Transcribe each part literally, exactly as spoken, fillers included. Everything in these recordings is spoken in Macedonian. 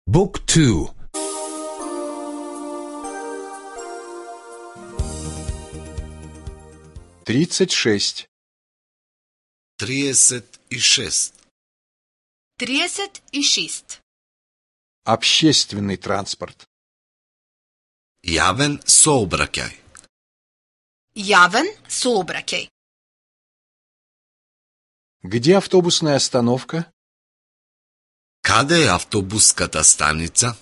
Book two. Тридцать шесть. тридцать шесть. тридцать шесть. Общественный транспорт. Јавен сообраќај. Јавен сообраќај. Где автобусная остановка? Каде е автобуската станица?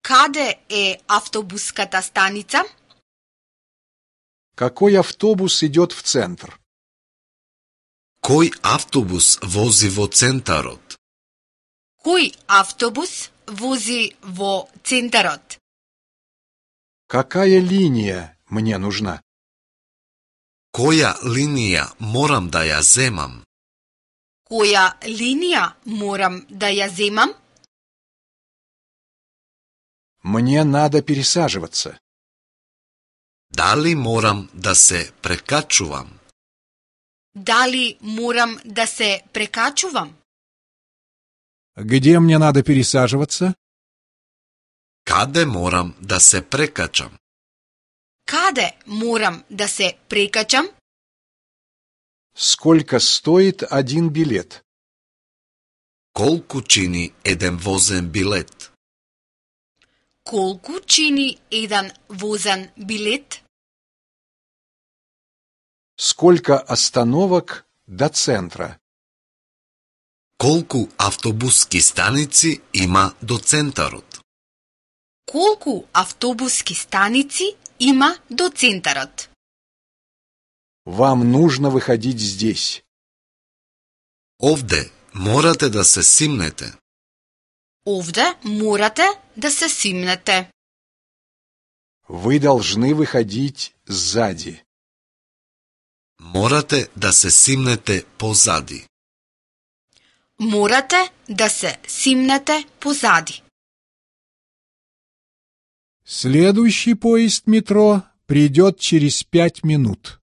Каде е автобуската станица? Какой автобус идет в центр? Кој автобус вози во центарот? Кој автобус вози во центарот? Какая линия мне нужна? Која линија морам да ја земам? Која линија морам да ја земам? Мне надо пересаживаться. Дали морам да се прекачувам? Дали морам да се прекачувам? Где мне надо пересаживаться? Каде морам да се прекачам? Каде морам да се прекачам? Сколько стоит один билет? Колку чини еден возен билет? Колку чини еден возен билет? Сколько остановок до центра? Колку автобуски станици има до центарот? Колку автобуски станици има до центарот? Вам нужно выходить здесь. Овде морате да се симнете. Овде морате да се симнете. Вы должны выходить сзади. Морате да се симнете позади. Морате да се симнете позади. Следующий поезд метро придет через пять минут.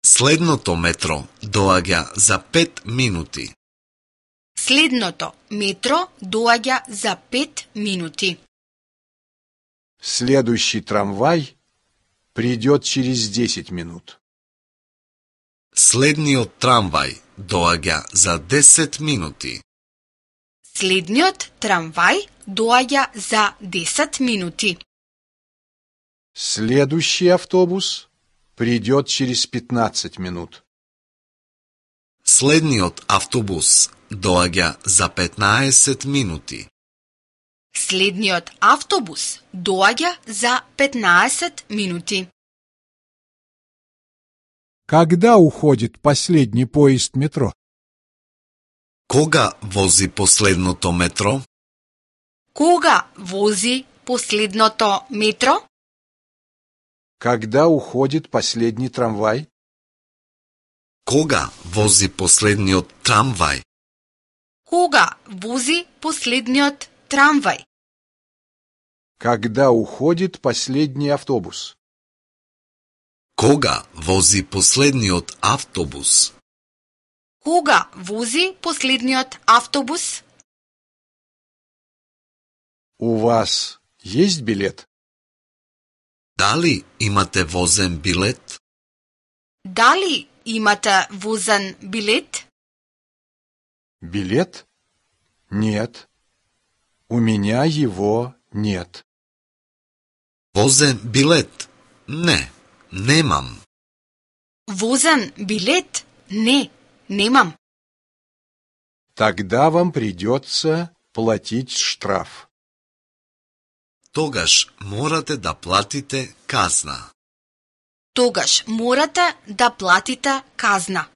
Следното метро доаѓа за пет минути. Следното метро доаѓа за пет минути. Следующий трамвай придет через десять минут. Следниот трамвај доаѓа за десет минути. Следниот трамвај доаѓа за десет минути. Следующий автобус придет через пятнадцать минут. Следниот автобус доаѓа за петнаесет минути. Следниот автобус доаѓа за петнаесет минути. Когда уходит последний поезд метро? Кога вози последното метро? Кога вози последното метро? Когда уходит последний трамвай? Кога вози последниот трамвај? Кога вози последниот трамвај? Когда уходит последний автобус? Кога вози последниот автобус? Кога вози последниот автобус? У вас есть билет? Дали имате возен билет? Дали имате возен билет? Билет? Нет. У меня его нет. Возен билет? Не, немам. Возен билет? Не, немам. Тогда вам придется платить штраф. Тогаш морате да платите казна. Тогаш морате да платите казна.